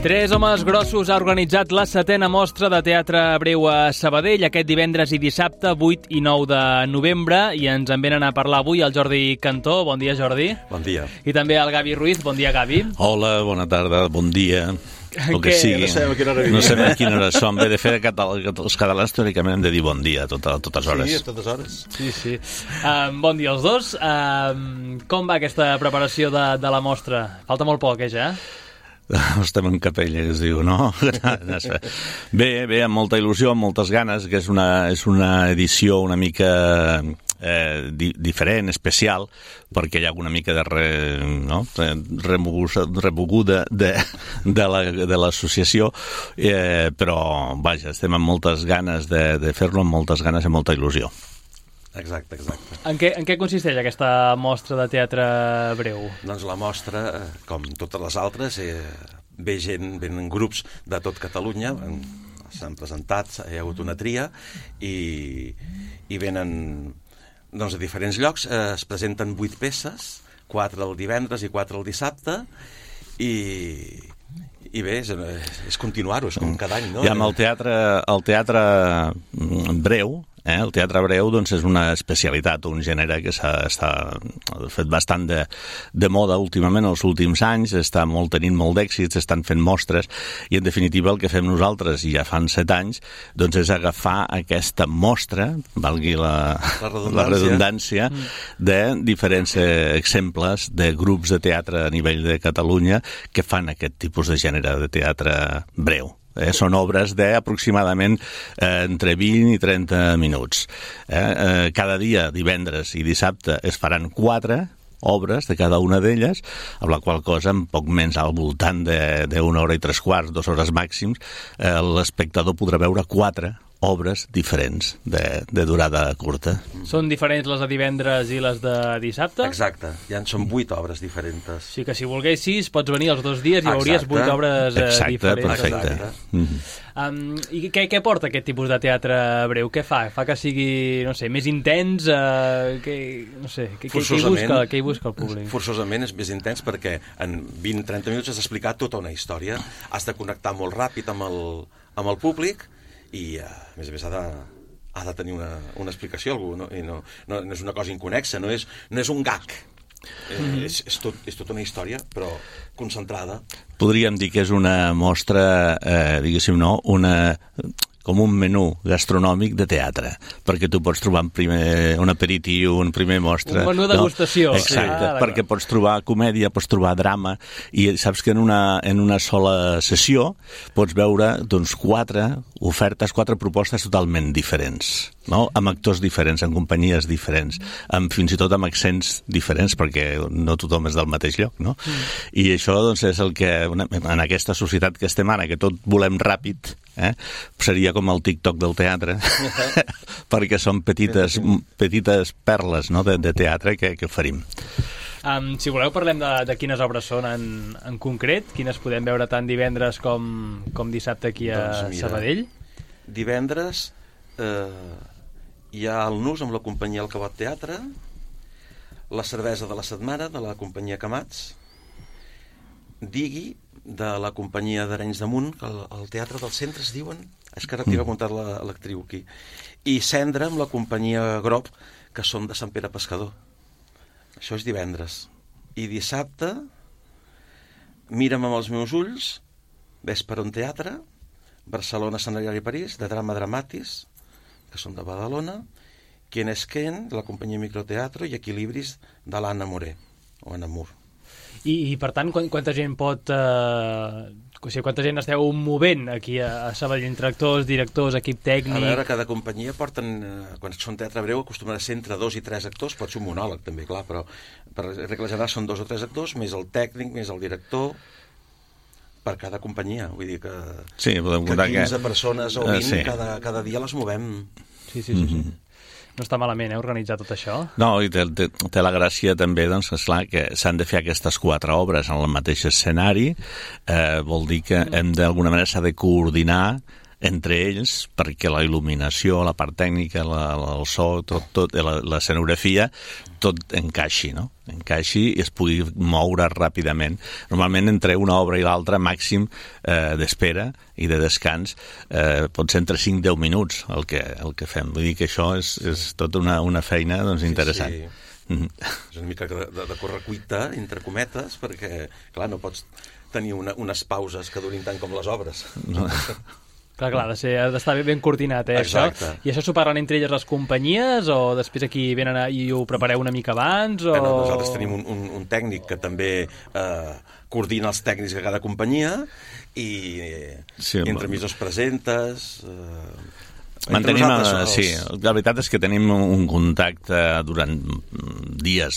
Tres homes grossos ha organitzat la 7a mostra de teatre breu a Sabadell aquest divendres i dissabte 8 i 9 de novembre i ens en venen a parlar avui el Jordi Cantó. Bon dia, Jordi. Bon dia. I també el Gavi Ruiz. Bon dia, Gavi. Hola, bona tarda, bon dia. El que sigui. No sabem a quina hora som. Bé, de fet, els catalans teòricament hem de dir bon dia a totes hores. Sí, a totes hores. Sí. Bon dia als dos. Com va aquesta preparació de la mostra? Falta molt poc, ja? Estem en capella, que es diu, no? Bé, amb molta il·lusió, amb moltes ganes, que és una edició una mica diferent, especial, perquè hi ha una mica de remoguda de l'associació, però, vaja, estem amb moltes ganes de fer-lo, amb moltes ganes i molta il·lusió. Exacte. En què consisteix aquesta mostra de teatre breu? Doncs la mostra, com totes les altres, venen grups de tot Catalunya, s'han presentat, hi ha hagut una tria, i venen a diferents llocs, es presenten 8 peces, 4 el divendres i 4 el dissabte, i bé, és continuar-ho, és com cada any, no? I amb el teatre breu, el teatre breu doncs, és una especialitat, un gènere que s'ha fet bastant de moda últimament, els últims anys, està tenint molt d'èxit, s'estan fent mostres, i en definitiva el que fem nosaltres, i ja fan 7 anys, doncs és agafar aquesta mostra, valgui la redundància, de diferents exemples de grups de teatre a nivell de Catalunya que fan aquest tipus de gènere de teatre breu. Són obres d'aproximadament entre 20 i 30 minuts. Cada dia, divendres i dissabte, es faran 4 obres de cada una d'elles, amb la qual cosa, en poc menys al voltant d'una hora i 3/4, 2 hores màxims, l'espectador podrà veure 4 obres diferents de durada curta. Són diferents les de divendres i les de dissabte? Exacte, són 8 obres diferents. O sigui que si volguessis pots venir els 2 dies i veuries 8 obres diferents. Perfecte. I què porta aquest tipus de teatre breu? Què fa? Fa que sigui, no sé, més intens? Què hi busca el públic? Forçosament és més intens perquè en 20-30 minuts has d'explicar tota una història, has de connectar molt ràpid amb el públic, i a més ha de tenir una explicació algú, no? I no és una cosa inconexa, no és un gag, és tota una història però concentrada. Podríem dir que és una mostra, diguéssim, com un menú gastronòmic de teatre, perquè tu pots trobar un aperitiu, un primer mostra... Un menú de degustació. Exacte, perquè pots trobar comèdia, pots trobar drama, i saps que en una sola sessió pots veure 4 ofertes, 4 propostes totalment diferents, no? Amb actors diferents, amb companyies diferents, fins i tot amb accents diferents, perquè no tothom és del mateix lloc, no? I això doncs, és el que, en aquesta societat que estem ara, que tot volem ràpid, seria com el TikTok del teatre, perquè són petites perles, no?, de teatre que oferim. Si voleu parlem de quines obres són en concret, quines podem veure tant divendres com dissabte aquí a Sabadell. Divendres hi ha el Nus amb la companyia El Cabot Teatre, La cervesa de la setmana de la companyia Camats, Digui de la companyia d'Arenys de Munt, que el teatre del centre es diuen, és que ara t'hi va contar l'actriu aquí, i Cendra amb la companyia Grob, que són de Sant Pere Pescador. Això és divendres. I dissabte, Mira'm amb els meus ulls, Vesperon Teatre, Barcelona, Escenari París, de Drama Dramatis, que són de Badalona, Quien és Ken, de la companyia Microteatro, i Equilibris, de l'Anna Moré, o Anna Mur. I per tant, quanta gent quanta gent esteu movent aquí a Sabadell, entre actors, directors, equip tècnic? A veure, cada companyia porten, quan són teatre breu, acostumen a ser entre 2 i 3 actors, pot ser un monòleg també, clar, però per regla general són 2 o 3 actors, més el tècnic, més el director, per cada companyia, vull dir que 15 persones o 20 cada dia les movem. Sí. No està malament, organitzar tot això? No, i té la gràcia també, doncs, esclar, que s'han de fer aquestes 4 obres en el mateix escenari, vol dir que d'alguna manera s'ha de coordinar entre ells, perquè la il·luminació, la part tècnica, el so, tot l'escenografia, tot encaixi, no? Encaixi i es pugui moure ràpidament. Normalment entre una obra i l'altra màxim d'espera i de descans pot ser entre 5 i 10 minuts el que fem. Vull dir que això és tota una feina doncs, interessant. Sí. És una mica de correcuita, entre cometes, perquè, clar, no pots tenir unes pauses que durin tant com les obres. No. Clar, ha d'estar ben coordinat, Exacte. això. I això s'ho parlen entre elles les companyies, o després aquí venen i ho prepareu una mica abans? O... Nosaltres tenim un tècnic que també coordina els tècnics de cada companyia i entre emissors presentes... Sí, la veritat és que tenim un contacte durant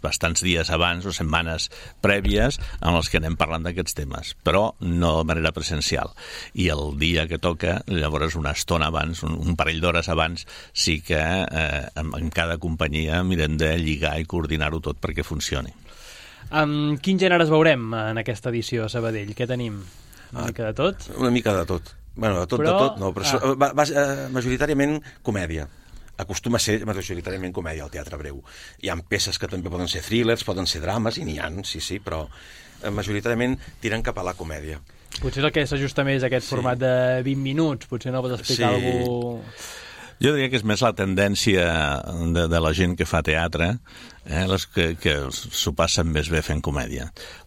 bastants dies abans o setmanes prèvies en els que anem parlant d'aquests temes, però no de manera presencial. I el dia que toca, llavors una estona abans, un parell d'hores abans, sí que en cada companyia mirem de lligar i coordinar-ho tot perquè funcioni. Quins gèneres veurem en aquesta edició a Sabadell? Què tenim? Una mica de tot? Una mica de tot. Bueno, de tot no, però majoritàriament comèdia. Acostuma a ser majoritàriament comèdia al Teatre Breu. Hi ha peces que també poden ser thrillers, poden ser drames, i n'hi ha, sí, però majoritàriament tiren cap a la comèdia. Potser és el que s'ajusta més a aquest format de 20 minuts, potser no pots explicar algú... Jo diria que és més la tendència de la gent que fa teatre, que s'ho passen més bé fent comèdia,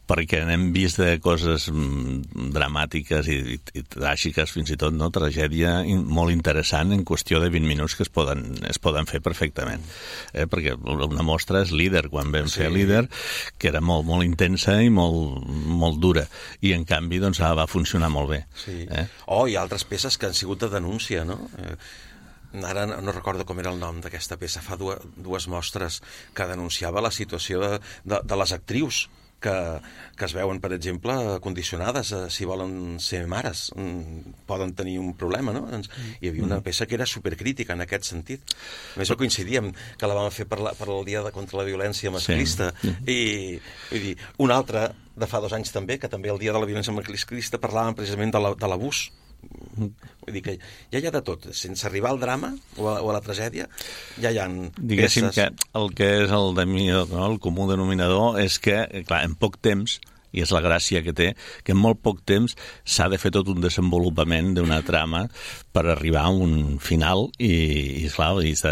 perquè n'hem vist de coses dramàtiques i tràgiques, fins i tot, no? Tragèdia molt interessant en qüestió de 20 minuts que es poden fer perfectament. Perquè una mostra és Líder, quan vam fer Líder, que era molt, molt intensa i molt, molt dura, i en canvi doncs, va funcionar molt bé. Sí. Hi ha altres peces que han sigut de denúncia, no? Ara no recordo com era el nom d'aquesta peça, fa dues mostres que denunciava la situació de les actrius que es veuen, per exemple, condicionades si volen ser mares, poden tenir un problema, no? Doncs hi havia una peça que era supercrítica en aquest sentit. A més, coincidíem que la vam fer per el Dia contra la Violència Masclista, i vull dir, una altra de fa 2 anys també, que també el Dia de la Violència Masclista parlaven precisament de l'abús. Vull dir que ja hi ha de tot, sense arribar al drama o a la tragèdia, ja hi ha Diguéssim peces. Que el que és el comú denominador és que, clar, en poc temps, i és la gràcia que té, que en molt poc temps s'ha de fer tot un desenvolupament d'una trama per arribar a un final i clar, és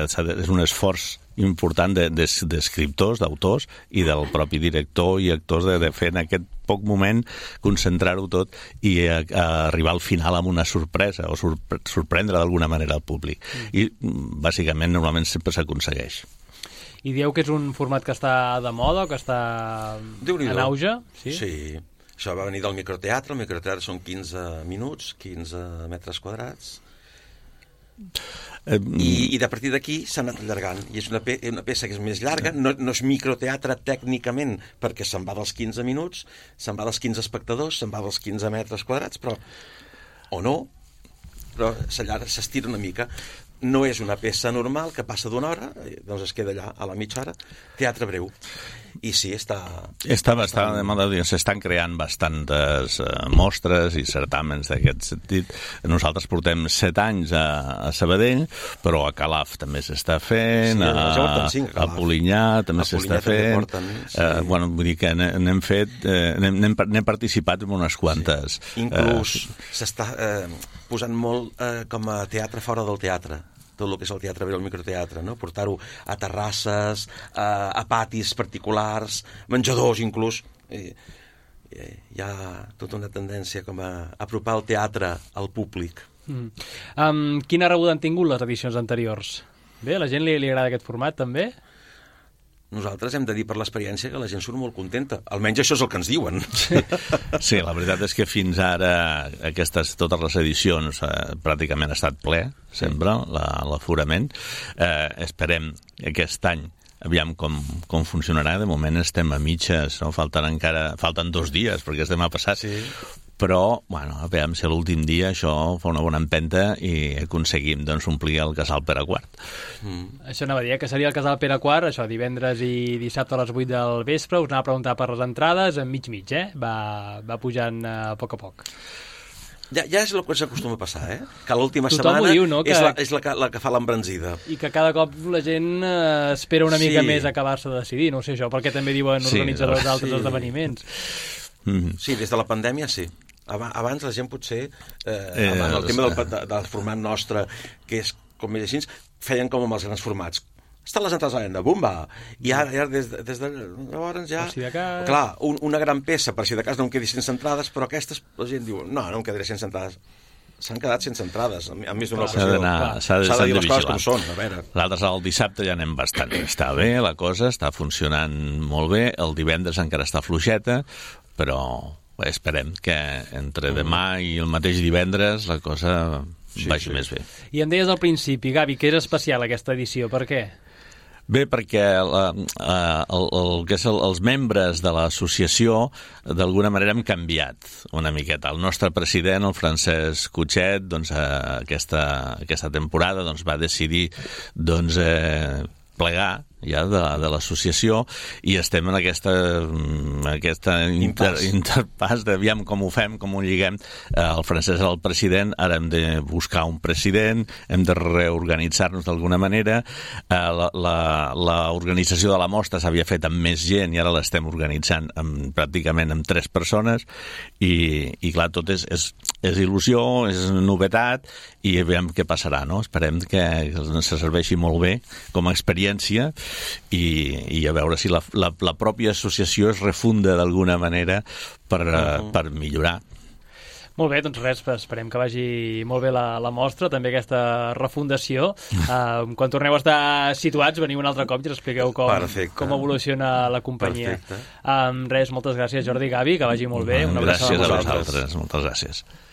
un esforç important d'escriptors, d'autors i del propi director i actors de fer en aquest poc moment concentrar-ho tot i arribar al final amb una sorpresa o sorprendre d'alguna manera al públic. I bàsicament normalment sempre s'aconsegueix. I dieu que és un format que està de moda, que està en auge? Sí. Això va venir del microteatre. El microteatre són 15 minuts, 15 metres quadrats. I de partir d'aquí s'ha anat allargant. I és una peça que és més llarga. No és microteatre tècnicament, perquè se'n va dels 15 minuts, se'n va dels 15 espectadors, se'n va dels 15 metres quadrats, però s'estira una mica. No és una peça normal que passa d'una hora, doncs es queda allà a la mitja hora. Teatre Breu. I sí, està bastant de moda. S'estan creant bastantes mostres i certàmens d'aquest sentit. Nosaltres portem 7 anys a Sabadell, però a Calaf també s'està fent, a Polinyà també s'està fent. Vull dir que n'hem participat en unes quantes. Inclús s'està posant molt com a teatre fora del teatre, tot el que és el Teatre Breu, el microteatre, no? Portar-ho a terrasses, a patis particulars, menjadors inclús. Hi ha tota una tendència com a apropar el teatre al públic. Quina rebuda han tingut les edicions anteriors? Bé, a la gent li agrada aquest format també? Nosaltres hem de dir per l'experiència que la gent surt molt contenta. Almenys això és el que ens diuen. Sí, la veritat és que fins ara totes les edicions pràcticament ha estat ple, sempre, l'aforament. Esperem aquest any aviam com funcionarà. De moment estem a mitges, no? Falten 2 dies perquè és demà passat. Sí. Però, a veure si l'últim dia això fa una bona empenta i aconseguim omplir el Casal Pere IV. Això anava a dir, que seria el Casal Pere IV, això, divendres i dissabte a les 8 del vespre. Us anava a preguntar per les entrades, en mig, va pujant a poc a poc. Ja és el que s'acostuma a passar, que l'última Tothom setmana ho diu, no? és la que fa l'embranzida. I que cada cop la gent espera una mica més acabar-se de decidir, no sé això, perquè també diuen organitzadors d'altres esdeveniments. Sí, des de la pandèmia sí. Abans la gent potser, amb el tema del format nostre, que és com més així, feien com amb els grans formats. Estan les entrades a la venda, bumba! I ara des de llavors ja... Per si de cas... Clar, una gran peça, per si de cas no em quedi sense entrades, però aquestes, la gent diu, no em quedaré sense entrades. S'han quedat sense entrades, a més d'una ocasió. S'ha de dir les coses vigilar. com són, a veure. L'altre, el dissabte ja anem bastant. Està bé, la cosa està funcionant molt bé. El divendres encara està fluixeta, però esperem que entre demà i el mateix divendres la cosa vagi més bé. I em deies al principi, Gavi, que és especial aquesta edició, per què? Bé, perquè els membres de l'associació d'alguna manera hem canviat una miqueta. El nostre president, el Francesc Cutxet, doncs, aquesta temporada doncs, va decidir plegar ja de l'associació i estem en aquesta interpàs d'aviam com ho fem, com ho lliguem. El Francesc és el president, ara hem de buscar un president, hem de reorganitzar-nos d'alguna manera. L'organització de la mostra s'havia fet amb més gent i ara l'estem organitzant pràcticament amb 3 persones i clar, tot és il·lusió, és novetat i veiem què passarà, no? Esperem que se serveixi molt bé com a experiència i a veure si la pròpia associació es refunda d'alguna manera per millorar. Molt bé, doncs res, esperem que vagi molt bé la mostra, també aquesta refundació. Quan torneu a estar situats, veniu un altre cop i ens expliqueu com evoluciona la companyia. Res, moltes gràcies, Jordi i Gavi, que vagi molt bé. Gràcies a vosaltres, moltes gràcies.